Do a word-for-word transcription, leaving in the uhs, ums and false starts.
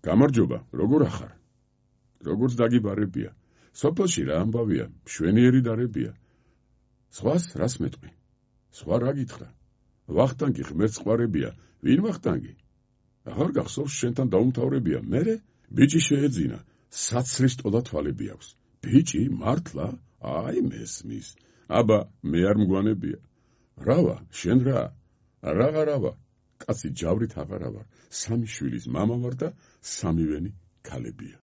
გამარჯობა, როგორ ახარ? Როგორც დაგიბარებია. სოფელში რა ამბავია, მშვენიერი დარებია. სხვას რას მეტყვი? სხვა რა გითხრა? ვახტანგი ღმერთს ყვარებია, ვინ ვახტანგი? აღარ გახსოვს შენთან დაუმთავრებია, მერე ბიჭი შეეძინა, საცრის ტოლა თვალები აქვს. ბიჭი, მართლა? აი მესმის. აბა, მე არ მგვანებია. რავა, შენ რა? რაღარავა. კაცი ჯავრით აღარა ვარ, სამი შვილის მამა ვარ და სამივენი ქალებია.